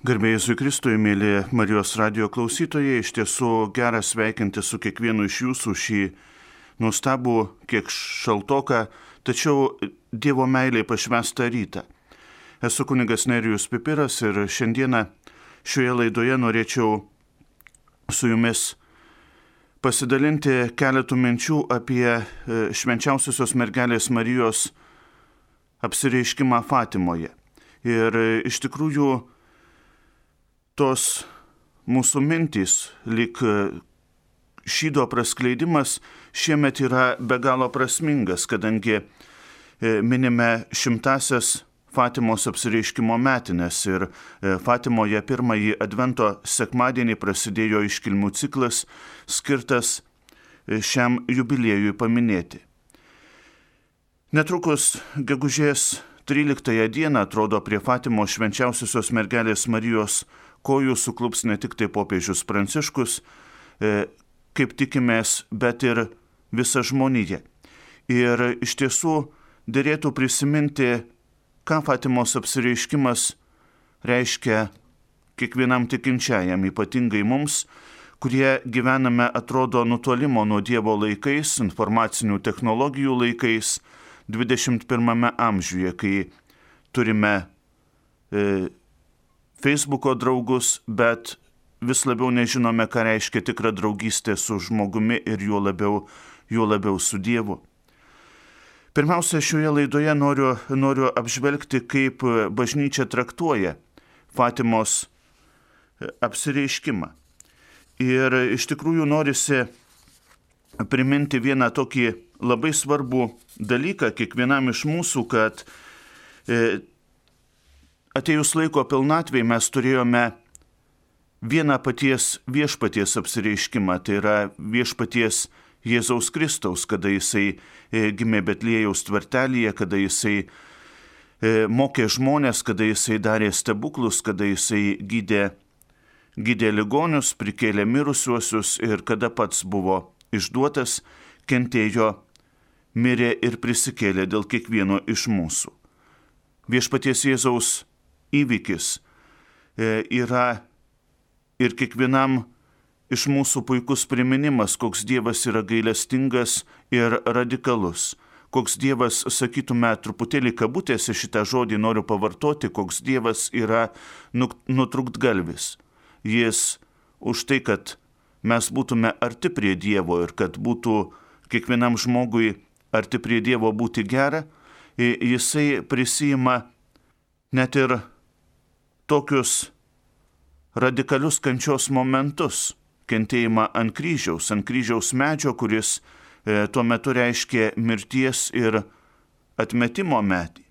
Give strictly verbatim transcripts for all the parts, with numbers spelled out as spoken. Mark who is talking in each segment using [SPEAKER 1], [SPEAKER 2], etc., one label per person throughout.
[SPEAKER 1] Garbė Jėzui Kristui, mėly Marijos radijo klausytojai, iš tiesų gera sveikinti su kiekvienu iš jūsų šį nuostabų, kiek šaltoką, tačiau Dievo meiliai pašvęstą rytą. Esu kunigas Nerijus Pipiras ir šiandieną šioje laidoje norėčiau su jumis pasidalinti keletų minčių apie švenčiausiosios mergelės Marijos apsireiškimą Fatimoje. Ir iš tikrųjų tos mūsų mintys, lyg šydo praskleidimas, šiemet yra be galo prasmingas, kadangi minime šimtasias Fatimos apsireiškimo metines ir Fatimoje pirmąjį advento sekmadienį prasidėjo iškilmių ciklas skirtas šiam jubiliejui paminėti. Netrukus gegužės tryliktąją dieną, atrodo, prie Fatimos švenčiausiosios mergelės Marijos kojų suklups ne tik tai popiežius Pranciškus, kaip tikimės, bet ir visa žmonija. Ir iš tiesų derėtų prisiminti, ką Fatimos apsireiškimas reiškia kiekvienam tikinčiajam, ypatingai mums, kurie gyvename, atrodo, nutolimo nuo Dievo laikais, informacinių technologijų laikais, dvidešimt pirmame amžiuje, kai turime e, Facebooko draugus, bet vis labiau nežinome, ką reiškia tikra draugystė su žmogumi ir juo labiau, juo labiau su Dievu. Pirmiausia, šioje laidoje noriu, noriu apžvelgti, kaip bažnyčia traktuoja Fatimos apsireiškimą. Ir iš tikrųjų norisi priminti vieną tokį labai svarbų dalyką kiekvienam iš mūsų, kad e, atėjus laiko pilnatvei mes turėjome vieną paties viešpaties apsireiškimą, tai yra viešpaties Jėzaus Kristaus, kada jisai gimė Betliejaus tvartelyje, kada jisai mokė žmonės, kada jisai darė stebuklus, kada jisai gydė, gydė ligonius, prikėlė mirusiuosius ir kada pats buvo išduotas, kentėjo, mirė ir prisikėlė dėl kiekvieno iš mūsų. Viešpaties Jėzaus įvykis yra ir kiekvienam iš mūsų puikus priminimas, koks Dievas yra gailestingas ir radikalus. Koks Dievas, sakytume, truputėlį kabutėse šitą žodį noriu pavartoti, koks Dievas yra nutrūktgalvis. Jis už tai, kad mes būtume arti prie Dievo ir kad būtų kiekvienam žmogui arti prie Dievo būti gera, jisai prisima net ir tokius radikalius kančios momentus, kentėjimą ant kryžiaus, ant kryžiaus medžio, kuris e, tuo metu reiškė mirties ir atmetimo medį.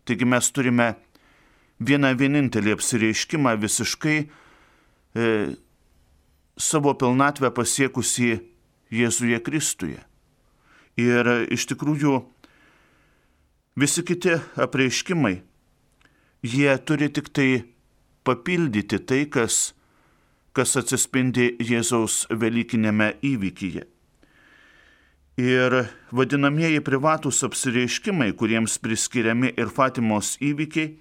[SPEAKER 1] Taigi mes turime vieną vienintelį apsireiškimą visiškai e, savo pilnatvę pasiekusį Jėzuje Kristuje. Ir iš tikrųjų visi kiti apreiškimai, jie turi tik tai papildyti tai, kas, kas atsispindi Jėzaus velykinėme įvykyje. Ir vadinamieji privatūs apsireiškimai, kuriems priskiriami ir Fatimos įvykiai,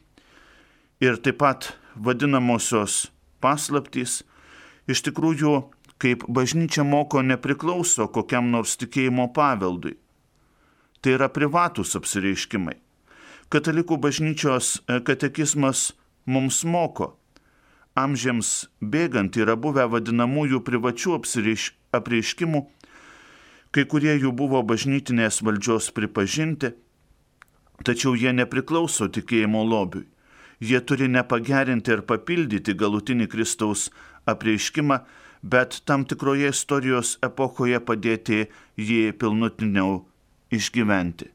[SPEAKER 1] ir taip pat vadinamosios paslaptys, iš tikrųjų, kaip bažnyčia moko, nepriklauso kokiam nors tikėjimo paveldui. Tai yra privatūs apsireiškimai. Katalikų bažnyčios katekizmas mums moko. Amžiams bėgant yra buvę vadinamųjų privačių apreiškimų, kai kurie jų buvo bažnytinės valdžios pripažinti, tačiau jie nepriklauso tikėjimo lobiui. Jie turi nepagerinti ir papildyti galutinį Kristaus apreiškimą, bet tam tikroje istorijos epochoje padėti jį pilnutiniau išgyventi.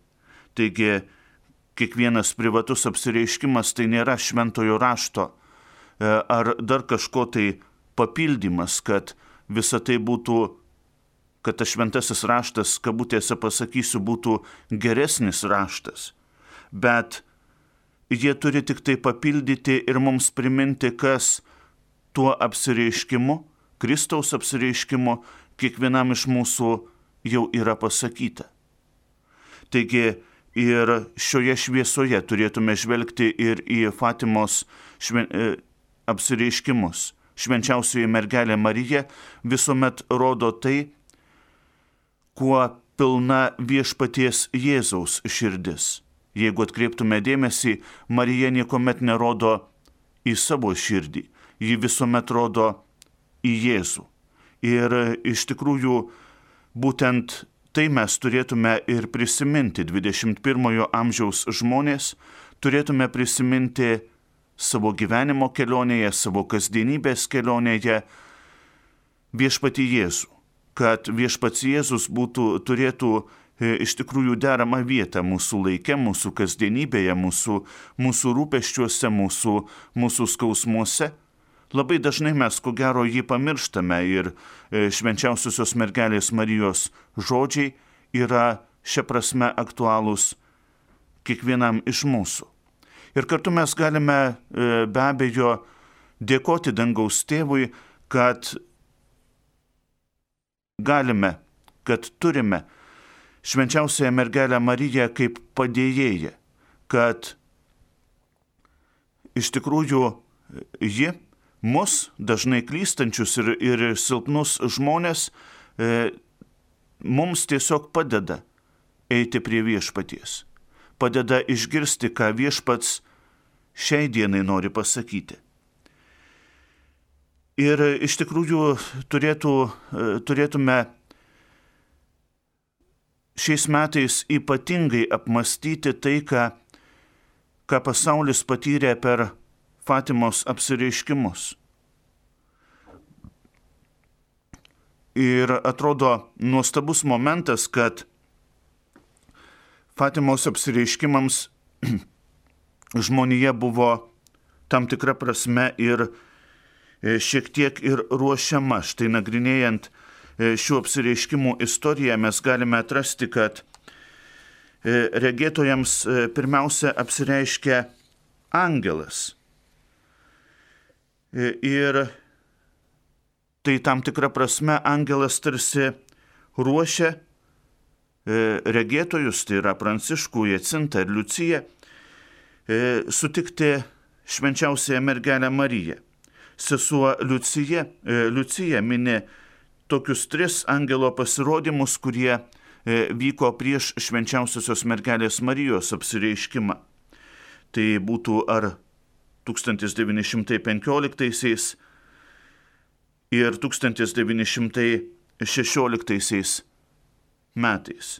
[SPEAKER 1] Taigi, kiekvienas privatus apsireiškimas tai nėra šventojo rašto ar dar kažko tai papildymas, kad visa tai būtų, kad tas šventasis raštas, kabutėse pasakysiu, būtų geresnis raštas. Bet jie turi tik tai papildyti ir mums priminti, kas tuo apsireiškimu, Kristaus apsireiškimu, kiekvienam iš mūsų jau yra pasakyta. Taigi, ir šioje šviesoje turėtume žvelgti ir į Fatimos šven... apsireiškimus. Švenčiausioji mergelė Marija visuomet rodo tai, kuo pilna viešpaties Jėzaus širdis. Jeigu atkreiptume dėmesį, Marija niekuomet nerodo į savo širdį, ji visuomet rodo į Jėzų. Ir iš tikrųjų būtent tai mes turėtume ir prisiminti, dvidešimt pirmojo amžiaus žmonės, turėtume prisiminti savo gyvenimo kelionėje, savo kasdienybės kelionėje viešpatį Jėzų, kad viešpats Jėzus būtų, turėtų e, iš tikrųjų deramą vietą mūsų laike, mūsų kasdienybėje, mūsų, mūsų rūpesčiuose, mūsų, mūsų skausmuose. Labai dažnai mes, ko gero, jį pamirštame ir e, švenčiausiosios mergelės Marijos žodžiai yra šia prasme aktualūs kiekvienam iš mūsų. Ir kartu mes galime e, be abejo dėkoti dangaus tėvui, kad galime, kad turime švenčiausiąją mergelę Mariją kaip padėjėją, kad iš tikrųjų ji mus, dažnai klystančius ir, ir silpnus žmonės, e, mums tiesiog padeda eiti prie viešpaties. Padeda išgirsti, ką viešpats šiai dienai nori pasakyti. Ir iš tikrųjų turėtų, turėtume šiais metais ypatingai apmastyti tai, ką, ką pasaulis patyrė per Fatimos apsireiškimus. Ir atrodo nuostabus momentas, kad Fatimos apsireiškimams žmonija buvo tam tikra prasme ir šiek tiek ir ruošiama. Štai nagrinėjant šių apsireiškimų istoriją mes galime atrasti, kad regėtojams pirmiausia apsireiškia angelas. Ir tai tam tikra prasme angelas tarsi ruošia regėtojus, tai yra Pranciškų, Jacintą ir Liuciją, sutikti švenčiausiąją mergelę Mariją. Sesuo Liucija, Liucija mini tokius tris angelo pasirodymus, kurie vyko prieš švenčiausiosios mergelės Marijos apsireiškimą. Tai būtų ar tūkstantis devyni šimtai penkioliktaisiais ir tūkstantis devyni šimtai šešioliktaisiais metais.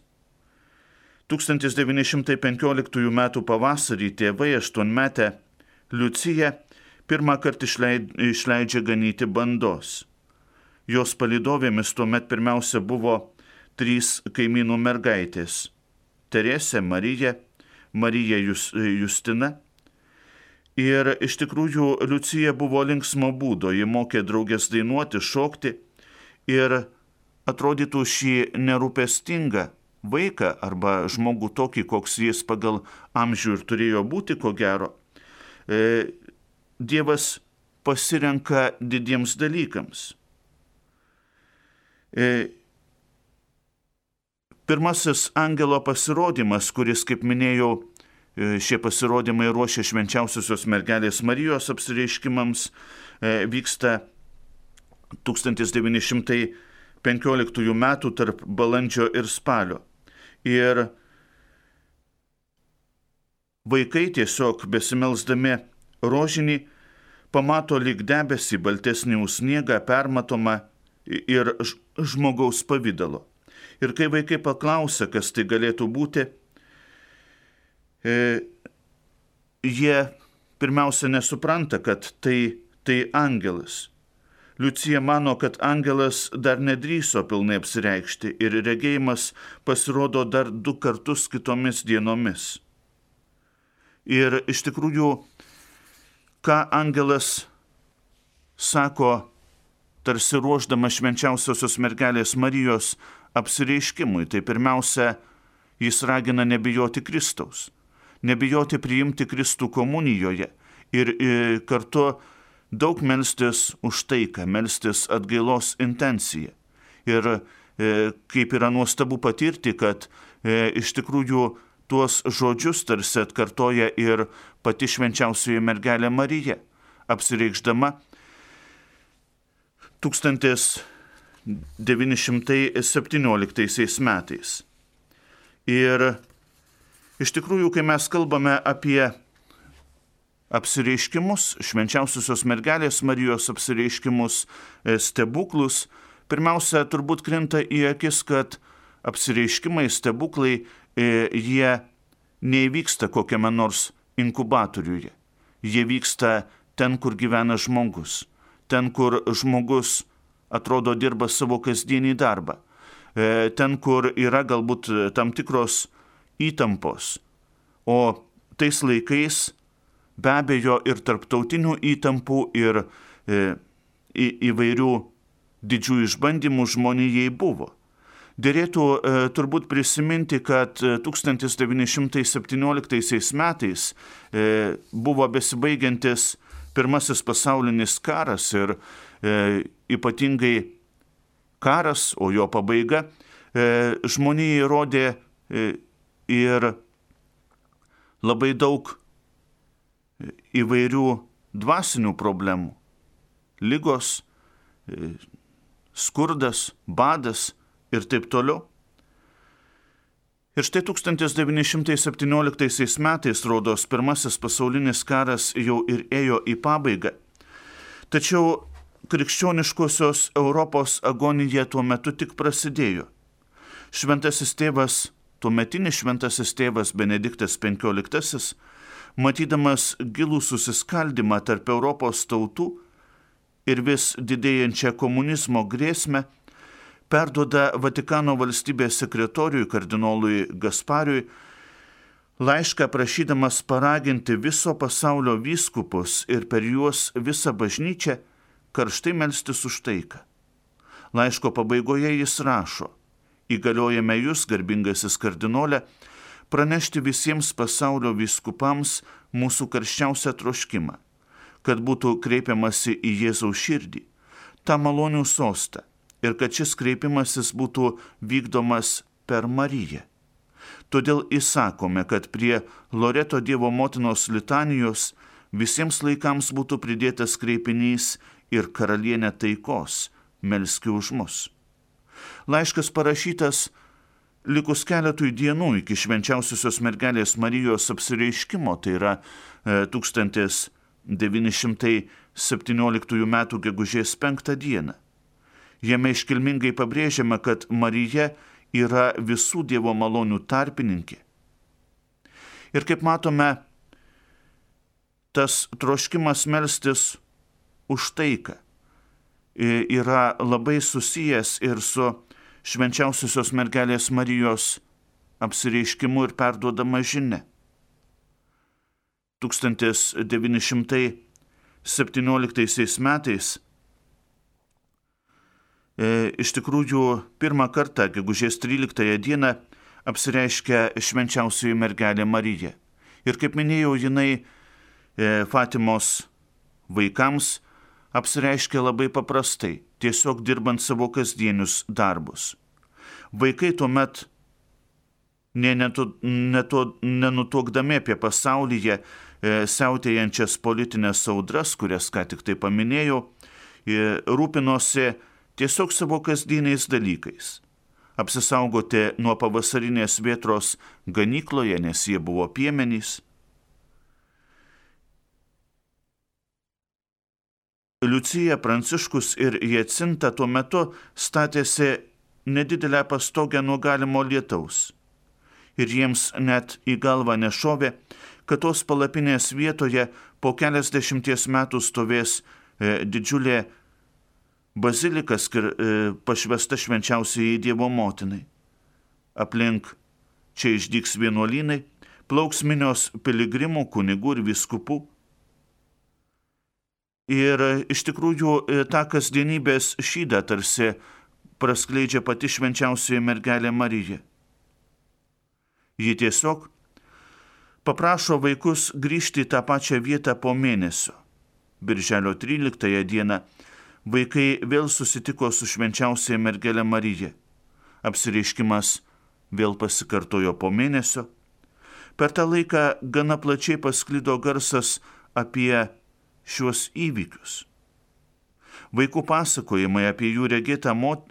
[SPEAKER 1] tūkstantis devyni šimtai penkioliktųjų metų pavasarį tėvai aštuonmetę Liuciją pirmą kartą išleidžia ganyti bandos. Jos palydovėmis tuomet pirmiausia buvo trys kaimynų mergaitės – Teresė, Marija, Marija Justina. Ir iš tikrųjų Liucija buvo linksmo būdo, ji mokė draugės dainuoti, šokti ir atrodytų šį nerūpestingą vaiką arba žmogų tokį, koks jis pagal amžių ir turėjo būti, ko gero, e, Dievas pasirenka didiems dalykams. E, pirmasis angelo pasirodymas, kuris, kaip minėjau, e, šie pasirodymai ruošia švenčiausiosios mergelės Marijos apsireiškimams, e, vyksta tūkstantis devyni šimtai penkioliktųjų metų tarp balandžio ir spalio. Ir vaikai tiesiog besimelsdami rožinį pamato lyg debesį baltesnį už sniegą, permatomą ir žmogaus pavydalo. Ir kai vaikai paklausia, kas tai galėtų būti, e, jie pirmiausia nesupranta, kad tai, tai angelas. Liucija mano, kad angelas dar nedrįso pilnai apsireikšti ir regėjimas pasirodo dar du kartus kitomis dienomis. Ir iš tikrųjų, ką angelas sako, tarsi ruošdama švenčiausiosios mergelės Marijos apsireiškimui, tai pirmiausia, jis ragina nebijoti Kristaus, nebijoti priimti Kristų komunijoje ir, ir kartu daug melstis už taiką, melstis atgailos intenciją. Ir e, kaip yra nuostabu patirti, kad e, iš tikrųjų tuos žodžius tarsi atkartoja ir pati švenčiausioji mergelė Marija. apsireikšdama tūkstantis devyni šimtai septynioliktaisiais metais. Ir iš tikrųjų, kai mes kalbame apie apsireiškimus, švenčiausiosios mergelės Marijos apsireiškimus, stebuklus, pirmiausia, turbūt krinta į akis, kad apsireiškimai, stebuklai, jie neįvyksta kokiame nors inkubatoriuje. Jie vyksta ten, kur gyvena žmogus, ten, kur žmogus atrodo dirba savo kasdienį darbą, ten, kur yra galbūt tam tikros įtampos, o tais laikais be abejo ir tarptautinių įtampų, ir e, į, įvairių didžių išbandymų žmonijai buvo. Dėrėtų e, turbūt prisiminti, kad tūkstantis devyni šimtai septynioliktaisiais metais e, buvo besibaigiantis pirmasis pasaulinis karas ir e, ypatingai karas, o jo pabaiga, e, žmonijai rodė e, ir labai daug įvairių dvasinių problemų. Ligos, e, skurdas, badas ir taip toliau. Ir štai tūkstantis devyni šimtai septynioliktaisiais metais, rodos, pirmasis pasaulinis karas jau ir ėjo į pabaigą. Tačiau krikščioniškosios Europos agonija tuo metu tik prasidėjo. Šventasis tėvas, tuometinis šventasis tėvas Benediktas penkioliktasis, matydamas gilų susiskaldymą tarp Europos tautų ir vis didėjančią komunizmo grėsmę, perduoda Vatikano valstybės sekretoriui kardinolui Gaspariui laišką prašydamas paraginti viso pasaulio vyskupus ir per juos visą bažnyčią karštai melstis už taiką. Laiško pabaigoje jis rašo: įgaliojame jūs, garbingasis kardinole, pranešti visiems pasaulio vyskupams mūsų karščiausią troškimą, kad būtų kreipiamasi į Jėzaus širdį, tą malonių sostą, ir kad šis kreipimasis būtų vykdomas per Mariją. Todėl įsakome, kad prie Loreto Dievo motinos litanijos visiems laikams būtų pridėtas kreipinys ir karalienė taikos, melski už mus. Laiškas parašytas likus keletui dienų iki švenčiausiosios mergelės Marijos apsireiškimo, tai yra e, tūkstantis devyni šimtai septynioliktųjų metų gegužės penktą dieną. Jame iškilmingai pabrėžiama, kad Marija yra visų Dievo malonių tarpininkė. Ir kaip matome, tas troškimas melstis už taiką yra labai susijęs ir su švenčiausiosios mergelės Marijos apsireiškimu ir perduodama žinia. tūkstantis devyni šimtai septynioliktaisiais metais e, iš tikrųjų pirmą kartą, gegužės tryliktąją dieną, apsireiškia švenčiausioji mergelė Marija. Ir kaip minėjau, jinai e, Fatimos vaikams apsireiškia labai paprastai, tiesiog dirbant savo kasdienius darbus. Vaikai tuomet nenutuokdami apie pasaulyje e, siautėjančias politinės audras, kurias ką tik tai paminėjau, e, rūpinosi tiesiog savo kasdieniais dalykais. Apsisaugoti nuo pavasarinės vėtros ganykloje, nes jie buvo piemenys. Liucija, Pranciškus ir Jacinta tuo metu statėsi nedidelę pastogę nuo galimo lietaus. Ir jiems net į galvą nešovė, kad tos palapinės vietoje po keliasdešimties metų stovės e, didžiulė bazilika skir, e, pašvesta švenčiausiai Dievo motinai. Aplink čia išdygs vienuolynai, plauks minios piligrimų, kunigų ir vyskupų. Ir iš tikrųjų tą kasdienybės šydą tarsi praskleidžia pati švenčiausioji mergelė Marija. Ji tiesiog paprašo vaikus grįžti į tą pačią vietą po mėnesio. Birželio tryliktąją dieną vaikai vėl susitiko su švenčiausioji mergelė Marija. Apsireiškimas vėl pasikartojo po mėnesio. Per tą laiką gana plačiai pasklido garsas apie šiuos įvykius. Vaikų pasakojimai apie jų regėtą mot,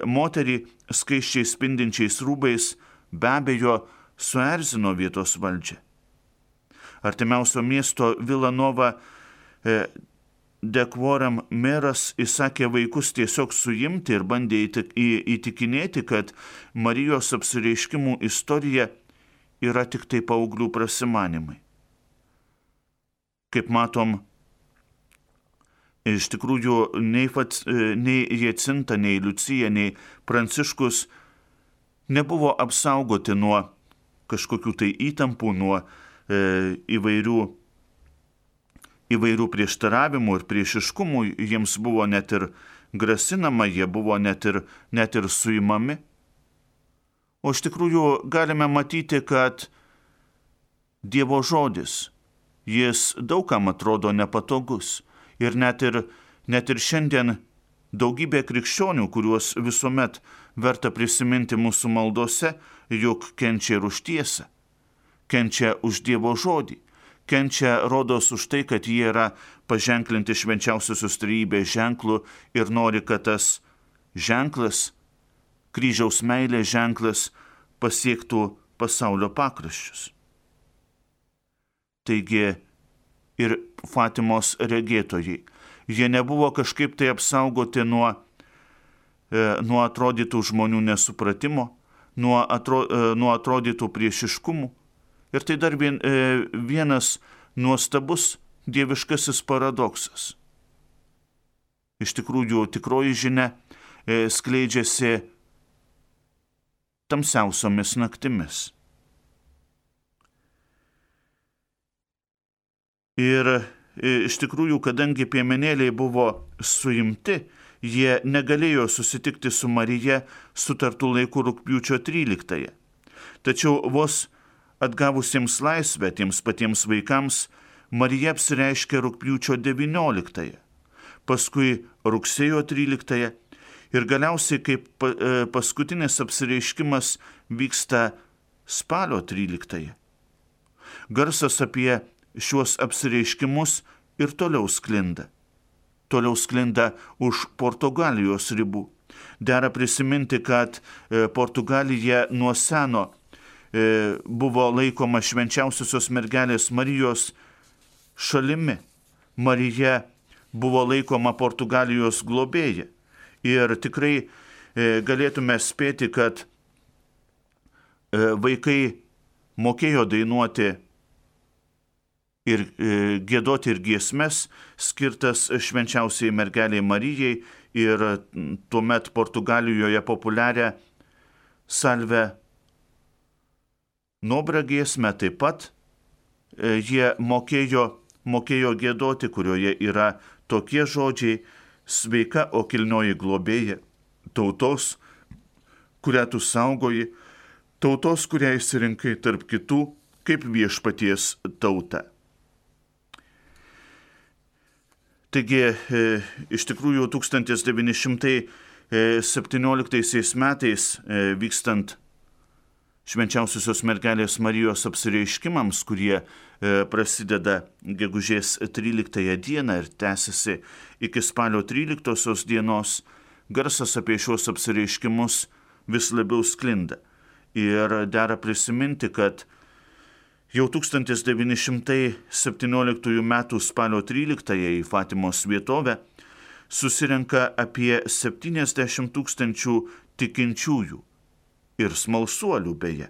[SPEAKER 1] moterį skaisčiai spindinčiais rūbais be abejo suerzino vietos valdžią. Artimiausio miesto Vilanova de Quorum meras įsakė vaikus tiesiog suimti ir bandė įtikinėti, kad Marijos apsireiškimų istorija yra tik tai paauglių prasimanimai. Kaip matom, iš tikrųjų nei, nei Jacinta, nei Liucija, nei Pranciškus nebuvo apsaugoti nuo kažkokių tai įtampų, nuo e, įvairių, įvairių prieštaravimų ir priešiškumų. Jiems buvo net ir grasinama, jie buvo net ir, net ir suimami. O iš tikrųjų galime matyti, kad Dievo žodis, jis daugam atrodo nepatogus. Ir net ir, net ir šiandien daugybė krikščionių, kuriuos visuomet verta prisiminti mūsų maldose, juk kenčia ir už tiesą, kenčia už Dievo žodį, kenčia rodos už tai, kad jie yra paženklinti švenčiausiosios trejybės ženklu ir nori, kad tas ženklas, kryžiaus meilės ženklas, pasiektų pasaulio pakraščius. Taigi ir Fatimos regėtojai, jie nebuvo kažkaip tai apsaugoti nuo, e, nuo atrodytų žmonių nesupratimo, nuo, atro, e, nuo atrodytų priešiškumų. Ir tai dar vien, e, vienas nuostabus dieviškasis paradoksas. Iš tikrųjų, tikroji žinia e, skleidžiasi tamsiausiomis naktimis. Ir iš tikrųjų, kadangi piemenėliai buvo suimti, jie negalėjo susitikti su Marija sutartų laikų rugpjūčio tryliktąją. Tačiau vos atgavusiems laisvę tiems patiems vaikams, Marija apsireiškė rugpjūčio devynioliktąją, paskui rugsėjo tryliktąją ir galiausiai kaip paskutinis apsireiškimas vyksta spalio tryliktąją. Garsas apie šiuos apsireiškimus ir toliau sklinda. Toliau sklinda už Portugalijos ribų. Dera prisiminti, kad Portugalija nuo seno buvo laikoma švenčiausiosios mergelės Marijos šalimi. Marija buvo laikoma Portugalijos globėja. Ir tikrai galėtume spėti, kad vaikai mokėjo dainuoti ir e, giedoti ir giesmes skirtas švenčiausiai mergeliai Marijai ir tuomet Portugalijoje populiarią Salve Nobra giesmę taip pat e, jie mokėjo, mokėjo giedoti, kurioje yra tokie žodžiai: sveika, o kilnioji globėja, tautos, kurią tu saugoji, tautos, kurią išsirinkai tarp kitų, kaip viešpaties tauta. Taigi, e, iš tikrųjų, tūkstantis devyni šimtai septynioliktaisiais metais e, vykstant švenčiausiosios mergelės Marijos apsireiškimams, kurie e, prasideda gegužės tryliktąją dieną ir tęsiasi iki spalio tryliktosios dienos, garsas apie šios apsireiškimus vis labiau sklinda. Ir dera prisiminti, kad jau tūkstantis devyni šimtai septynioliktųjų metų spalio tryliktąją į Fatimos vietovę susirenka apie septyniasdešimt tūkstančių tikinčiųjų ir smalsuolių beje.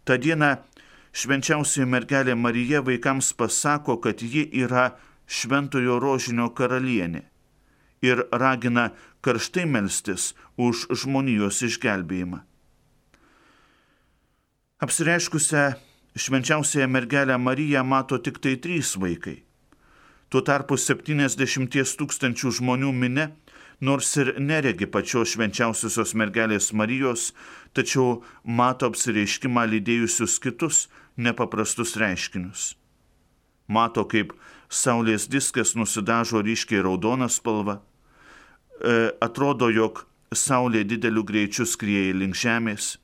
[SPEAKER 1] Ta diena švenčiausioji mergelė Marija vaikams pasako, kad ji yra šventojo rožinio karalienė ir ragina karštai melstis už žmonijos išgelbėjimą. Apsireiškusią švenčiausiąją mergelę Mariją mato tik tai trys vaikai. Tuo tarpu septyniasdešimties tūkstančių žmonių minia, nors ir neregi pačios švenčiausiosios mergelės Marijos, tačiau mato apsireiškimą lydėjusius kitus nepaprastus reiškinius. Mato, kaip saulės diskas nusidažo ryškiai raudoną spalvą. E, atrodo, jog saulė dideliu greičiu skrieja link žemės.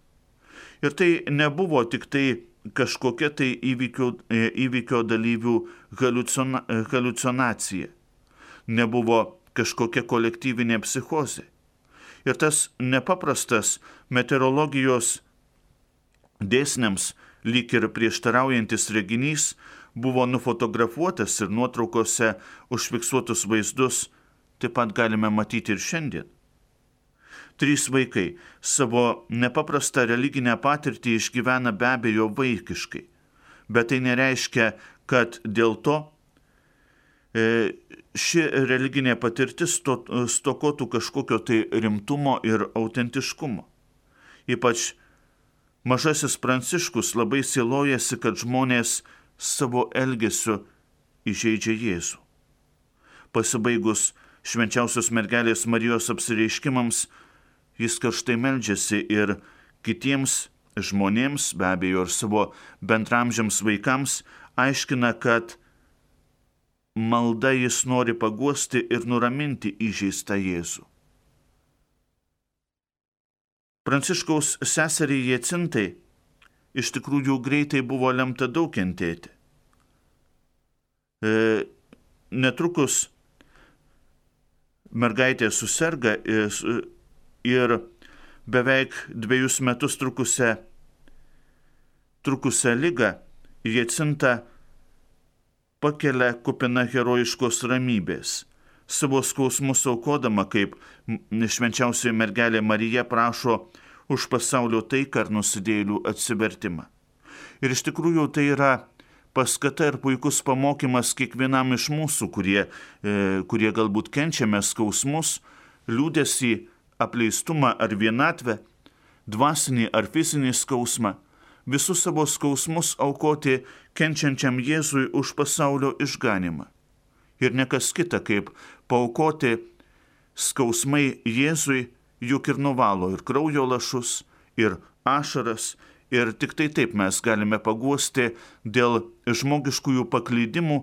[SPEAKER 1] Ir tai nebuvo tik tai kažkokia tai įvykio, įvykio dalyvių haliucina, haliucinacija, nebuvo kažkokia kolektyvinė psichozė. Ir tas nepaprastas meteorologijos dėsniams lyg ir prieštaraujantis reginys buvo nufotografuotas ir nuotraukose užfiksuotus vaizdus taip pat galime matyti ir šiandien. Trys vaikai savo nepaprastą religinę patirtį išgyvena be abejo vaikiškai, bet tai nereiškia, kad dėl to e, ši religinė patirtis stokotų kažkokio tai rimtumo ir autentiškumo. Ypač mažasis Pranciškus labai sielojasi, kad žmonės savo elgesiu įžeidžia Jėzų. Pasibaigus švenčiausios mergelės Marijos apsireiškimams, jis karštai meldžiasi ir kitiems žmonėms, be abejo ir savo bendramžiams vaikams, aiškina, kad malda jis nori paguosti ir nuraminti įžeistą Jėzų. Pranciškaus seseriai Jacintai iš tikrųjų greitai buvo lemta daug kentėti. E, netrukus mergaitė suserga ir, ir beveik dviejus metus trukusią, trukusią ligą Jacinta pakelia kupina herojiškos ramybės, savo skausmus aukodama, kaip švenčiausioji mergelė Marija prašo už pasaulio taiką ir nusidėjėlių atsivertimą. Ir iš tikrųjų tai yra paskata ir puikus pamokymas kiekvienam iš mūsų, kurie, e, kurie galbūt kenčiame skausmus, liūdesį, apleistumą ar vienatvę, dvasinį ar fizinį skausmą, visus savo skausmus aukoti kenčiančiam Jėzui už pasaulio išganimą. Ir nekas kita, kaip paaukoti skausmai Jėzui, juk ir nuvalo ir kraujo lašus, ir ašaras, ir tik tai taip mes galime paguosti dėl žmogiškųjų paklydimų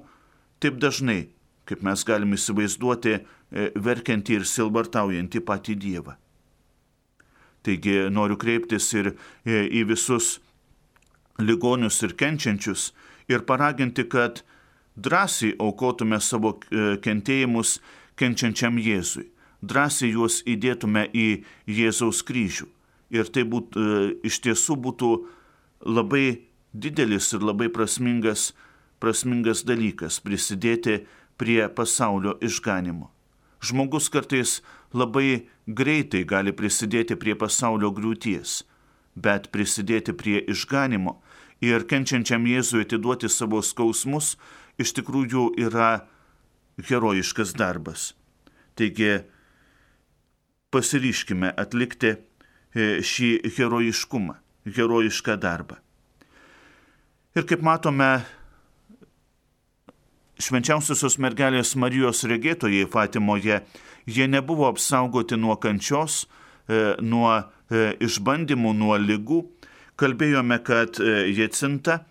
[SPEAKER 1] taip dažnai, kaip mes galime įsivaizduoti verkiantį ir silbartaujantį patį Dievą. Taigi noriu kreiptis ir į visus ligonius ir kenčiančius ir paraginti, kad drąsiai aukotume savo kentėjimus kenčiančiam Jėzui, drąsiai juos įdėtume į Jėzaus kryžių. Ir tai būt, iš tiesų būtų labai didelis ir labai prasmingas, prasmingas dalykas prisidėti prie pasaulio išganimo. Žmogus kartais labai greitai gali prisidėti prie pasaulio griūties, bet prisidėti prie išganimo ir kenčiančiam Jėzui atiduoti savo skausmus iš tikrųjų yra herojiškas darbas. Taigi pasiryškime atlikti šį herojiškumą, herojišką darbą. Ir kaip matome, švenčiausiosios mergelės Marijos regėtojai Fatimoje, jie nebuvo apsaugoti nuo kančios, nuo išbandymų, nuo ligų. Kalbėjome, kad Jacinta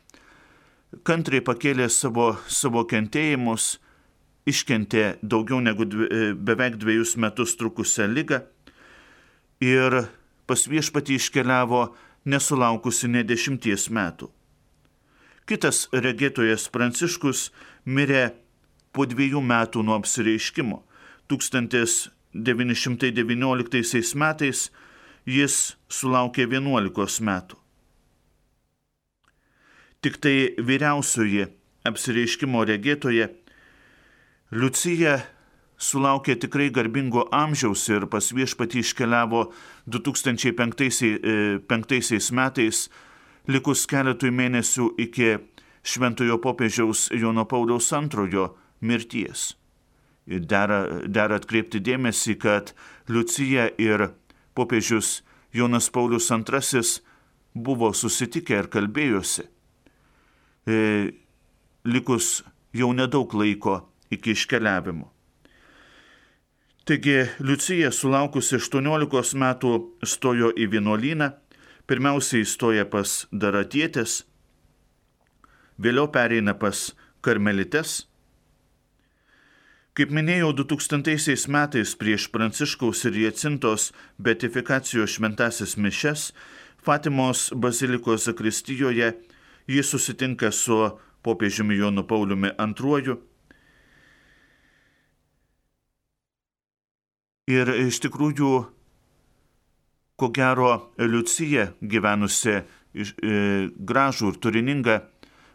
[SPEAKER 1] kantriai pakėlė savo, savo kentėjimus, iškentė daugiau negu dvi, beveik dviejus metus trukusią ligą ir pas viešpatį iškeliavo nesulaukusi nė dešimties metų. Kitas regėtojas Pranciškus mirė po dviejų metų nuo apsireiškimo. tūkstantis devyni šimtai devynioliktaisiais metais jis sulaukė vienuolikos metų. Tik tai vyriausioji apsireiškimo regėtoja Liucija sulaukė tikrai garbingo amžiaus ir pas viešpatį iškeliavo du tūkstančiai penktaisiais metais, likus keletui mėnesių iki šventojo popiežiaus Jono Pauliaus antrojo mirties. Dera, dera atkreipti dėmesį, kad Liucija ir popiežius Jonas Paulius antrasis buvo susitikę ir kalbėjosi, e, likus jau nedaug laiko iki iškeliavimo. Taigi Liucija sulaukusi aštuoniolikos metų stojo į vienuolyną, pirmiausiai įstoja pas Daratietes, vėliau pereina pas Karmelites. Kaip minėjau, du tūkstantaisiais metais prieš Pranciškaus ir Jacintos beatifikacijos šventasis mišias Fatimos bazilikos zakristijoje jis susitinka su popiežiumi Jonu Pauliumi antruoju. Ir iš tikrųjų, ko gero, Liucija, gyvenusi gražų ir turiningą,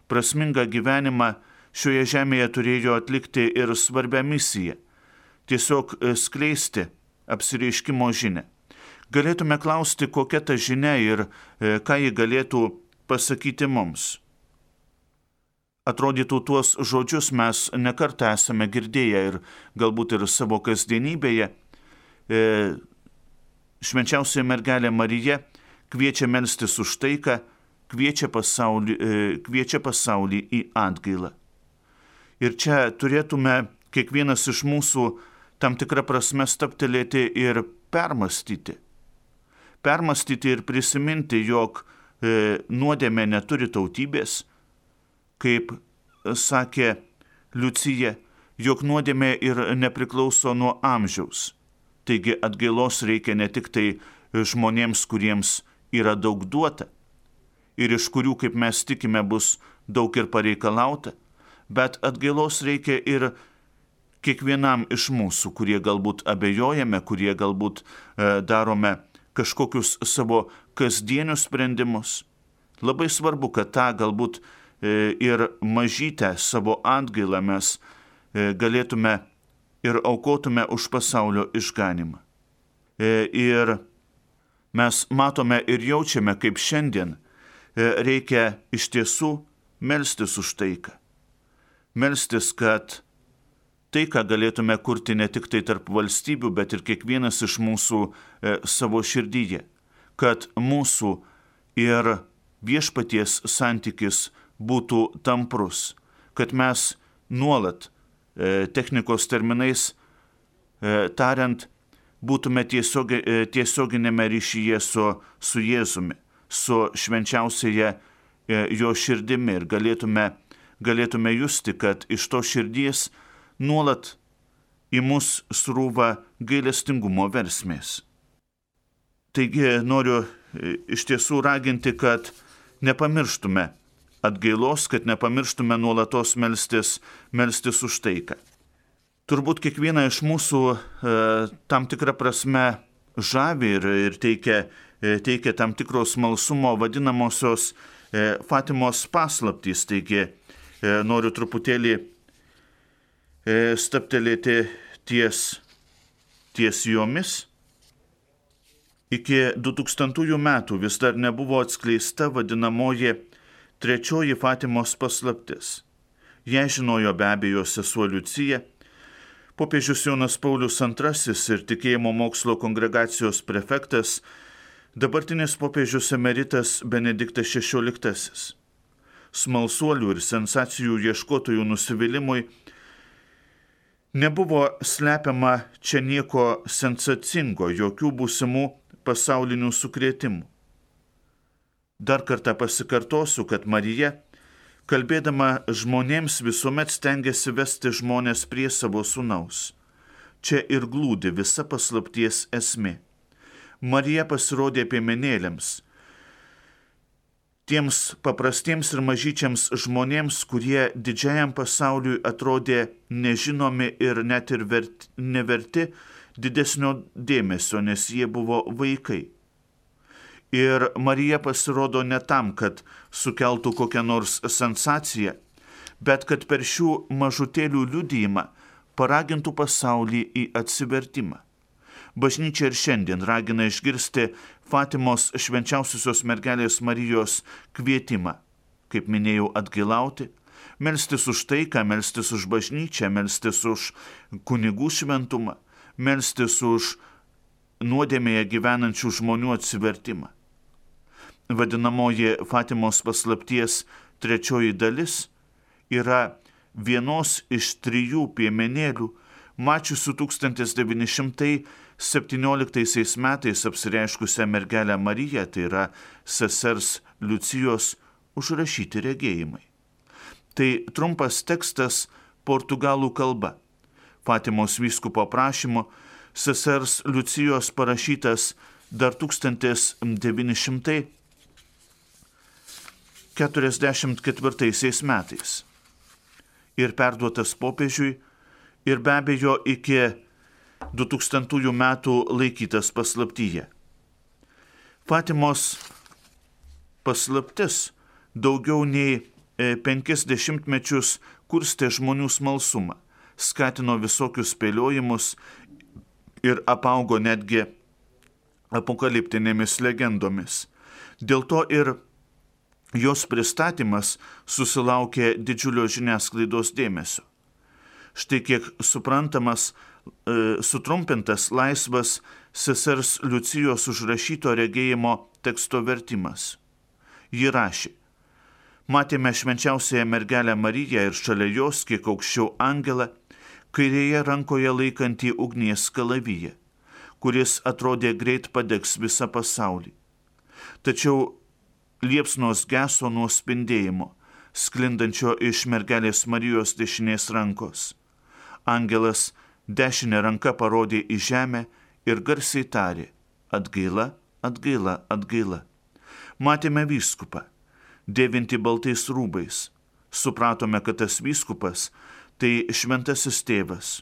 [SPEAKER 1] prasmingą gyvenimą, šioje žemėje turėjo atlikti ir svarbią misiją – tiesiog skleisti apsireiškimo žinią. Galėtume klausti, kokia ta žinia ir ką ji galėtų pasakyti mums. Atrodytų, tuos žodžius mes nekartą esame girdėję ir galbūt ir savo kasdienybėje. Švenčiausioji mergelė Marija kviečia melstis už taiką, kviečia pasaulį, kviečia pasaulį į atgailą. Ir čia turėtume kiekvienas iš mūsų tam tikrą prasme stabtelėti ir permastyti. Permastyti ir prisiminti, jog nuodėmė neturi tautybės, kaip sakė Liucija, jog nuodėmė ir nepriklauso nuo amžiaus. Taigi atgailos reikia ne tik tai žmonėms, kuriems yra daug duota ir iš kurių, kaip mes tikime, bus daug ir pareikalauta, bet atgailos reikia ir kiekvienam iš mūsų, kurie galbūt abejojame, kurie galbūt e, darome kažkokius savo kasdienius sprendimus. Labai svarbu, kad tą galbūt e, ir mažytę savo atgailą mes e, galėtume ir aukotume už pasaulio išganimą. E, ir mes matome ir jaučiame, kaip šiandien e, reikia iš tiesų melstis už taiką. Melstis, kad taiką galėtume kurti ne tik tai tarp valstybių, bet ir kiekvienas iš mūsų e, savo širdyje. Kad mūsų ir viešpaties santykis būtų tamprus. Kad mes nuolat e, technikos terminais e, tariant, būtume tiesiogi, e, tiesioginėme ryšyje su, su Jėzumi, su švenčiausiaja e, jo širdimi ir galėtume galėtume justi, kad iš to širdies nuolat į mus srūva gailestingumo versmės. Taigi noriu iš tiesų raginti, kad nepamirštume atgailos, kad nepamirštume nuolatos melstis, melstis už taiką. Turbūt kiekvieną iš mūsų e, tam tikrą prasme žavi ir, ir teikia, e, teikia tam tikros smalsumo vadinamosios e, Fatimos paslaptys. Taigi noriu truputėlį stabtelėti ties, ties jomis. Iki dutūkstantųjų metų vis dar nebuvo atskleista vadinamoji trečioji Fatimos paslaptis. Ją žinojo be abejo sesuo Liucija, popiežius Jonas Paulius antrasis ir tikėjimo mokslo kongregacijos prefektas, dabartinis popiežius emeritas Benediktas šešioliktasis. Smalsuolių ir sensacijų ieškotojų nusivylimui nebuvo slepiama čia nieko sensacingo, jokių būsimų pasaulinių sukrėtimų. Dar kartą pasikartosiu, kad Marija, kalbėdama žmonėms, visuomet stengiasi vesti žmonės prie savo sūnaus. Čia ir glūdi visa paslapties esmė. Marija pasirodė piemenėliams, tiems paprastiems ir mažyčiams žmonėms, kurie didžiajam pasauliui atrodė nežinomi ir net ir verti, neverti didesnio dėmesio, nes jie buvo vaikai. Ir Marija pasirodo ne tam, kad sukeltų kokią nors sensaciją, bet kad per šių mažutėlių liudijimą paragintų pasaulį į atsivertimą. Bažnyčia ir šiandien ragina išgirsti Fatimos švenčiausiosios mergelės Marijos kvietimą, kaip minėjau, atgailauti, melstis už taiką, melstis už bažnyčią, melstis už kunigų šventumą, melstis už nuodėmėje gyvenančių žmonių atsivertimą. Vadinamoji Fatimos paslapties trečioji dalis yra vienos iš trijų piemenėlių, mačiusių tūkstantis devyni šimtai septynioliktaisiais metais apsireiškusią mergelę Mariją, tai yra sesers Liucijos užrašyti regėjimai. Tai trumpas tekstas portugalų kalba. Fatimos vyskupo prašymu sesers Liucijos parašytas dar tūkstantis devyni šimtai keturiasdešimt ketvirtaisiais metais ir perduotas popiežiui ir be abejo iki du tūkstantųjų metų laikytas paslaptyje. Fatimos paslaptis daugiau nei penkis dešimtmečius kurstė žmonių smalsumą, skatino visokius spėliojimus ir apaugo netgi apokaliptinėmis legendomis. Dėl to ir jos pristatymas susilaukė didžiulio žiniasklaidos dėmesio. Štai kiek suprantamas, e, sutrumpintas laisvas sesers Liucijos užrašyto regėjimo teksto vertimas. Ji rašė: matėme švenčiausiąją mergelę Mariją ir šalia jos, kiek aukščiau angelą, kairėje rankoje laikantį ugnies kalaviją, kuris atrodė greit padegs visą pasaulį. Tačiau liepsnos geso nuo spindėjimo, sklindančio iš mergelės Marijos dešinės rankos. Angelas dešinę ranką parodė į žemę ir garsiai tarė: atgaila, atgaila, atgaila. Matėme vyskupą, dėvinti baltais rūbais. Supratome, kad tas vyskupas tai šventasis tėvas.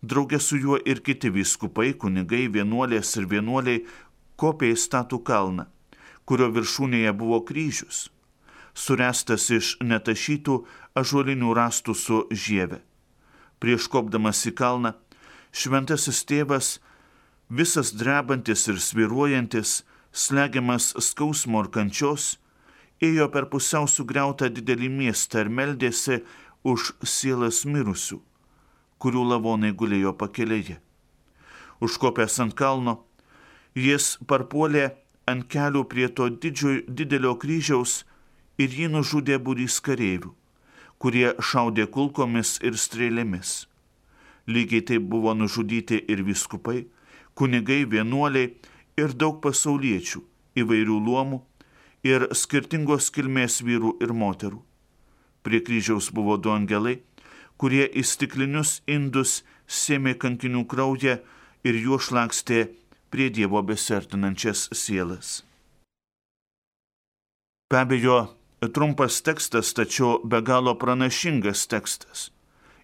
[SPEAKER 1] Draugė su juo ir kiti vyskupai, kunigai, vienuolės ir vienuoliai kopė į statų kalną, kurio viršūnėje buvo kryžius, surestas iš netašytų ąžuolinių rąstų su žieve. Prieš kopdamas į kalną, šventasis tėvas, visas drebantis ir svyruojantis, slegiamas skausmo ir kančios, ėjo per pusiau sugriautą didelį miestą ir meldėsi už sielas mirusių, kurių lavonai gulėjo pakelėje. Užkopęs ant kalno, jis parpuolė ant kelių prie to didžio, didelio kryžiaus ir jį nužudė būrys kareivių, kurie šaudė kulkomis ir strėlėmis. Lygiai taip buvo nužudyti ir vyskupai, kunigai, vienuoliai ir daug pasauliečių įvairių luomų ir skirtingos kilmės vyrų ir moterų. Prie kryžiaus buvo du angelai, kurie į stiklinius indus sėmė kankinių kraują ir juo šlakstė prie Dievo besiartinančias sielas. Be abejo, trumpas tekstas, tačiau be galo pranašingas tekstas.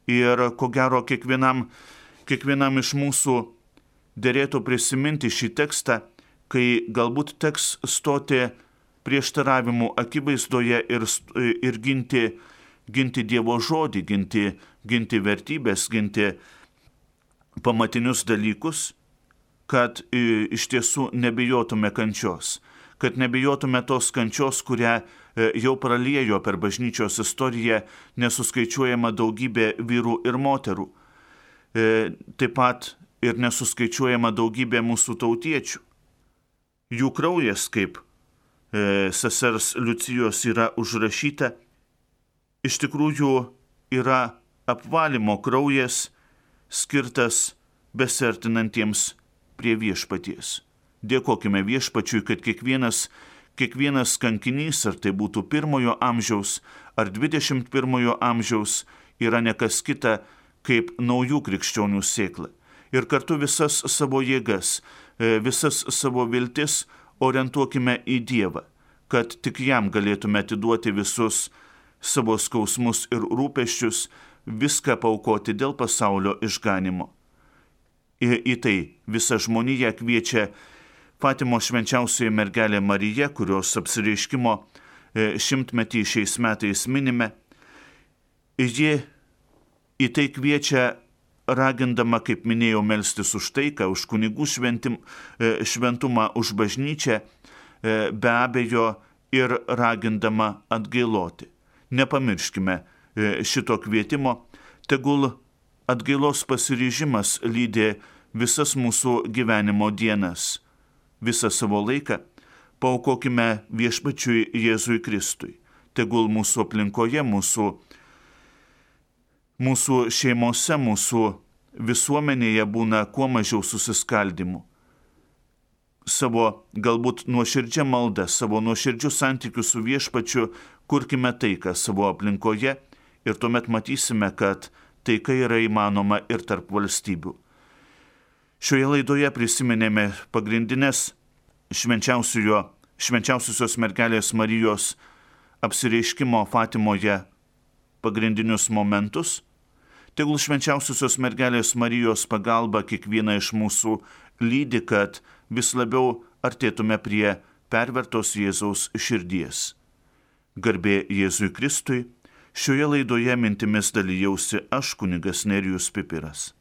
[SPEAKER 1] Ir ko gero kiekvienam, kiekvienam iš mūsų derėtų prisiminti šį tekstą, kai galbūt teks stoti prieštaravimų akivaizdoje ir, ir ginti, ginti Dievo žodį, ginti, ginti vertybės, ginti pamatinius dalykus, kad iš tiesų nebijotume kančios, kad nebijotume tos kančios, kurią jau praliejo per bažnyčios istoriją nesuskaičiuojama daugybė vyrų ir moterų, taip pat ir nesuskaičiuojama daugybė mūsų tautiečių. Jų kraujas, kaip sesers Liucijos yra užrašyta, iš tikrųjų yra apvalymo kraujas skirtas besiartinantiems prie viešpaties. Dėkokime viešpačiui, kad kiekvienas, kiekvienas kankinys, ar tai būtų pirmojo amžiaus ar dvidešimt pirmojo amžiaus, yra nekas kita kaip naujų krikščionių sėkla. Ir kartu visas savo jėgas, visas savo viltis orientuokime į Dievą, kad tik jam galėtume atiduoti visus savo skausmus ir rūpesčius, viską paaukoti dėl pasaulio išganimo. Ir į tai visa žmonija kviečia Fatimos švenčiausioji mergelė Marija, kurios apsireiškimo šimtmetį šiais metais minime. Ji į tai kviečia ragindama, kaip minėjau, melstis už taiką, už kunigų šventim, šventumą, už bažnyčią, be abejo ir ragindama atgailoti. Nepamirškime šito kvietimo, tegul atgailos pasiryžimas lydi visas mūsų gyvenimo dienas, visą savo laiką paaukokime viešpačiui Jėzui Kristui. Tegul mūsų aplinkoje, mūsų, mūsų šeimose, mūsų visuomenėje būna kuo mažiau susiskaldimų. Savo galbūt nuoširdžią maldą, savo nuoširdžių santykių su viešpačiu kurkime taiką savo aplinkoje ir tuomet matysime, kad taika yra įmanoma ir tarp valstybių. Šioje laidoje prisiminėme pagrindinės švenčiausiosios mergelės Marijos apsireiškimo Fatimoje pagrindinius momentus. Tegul švenčiausiosios mergelės Marijos pagalba kiekvieną iš mūsų lydi, kad vis labiau artėtume prie pervertos Jėzaus širdies. Garbė Jėzui Kristui, šioje laidoje mintimis dalijausi aš, kunigas Nerijus Pipiras.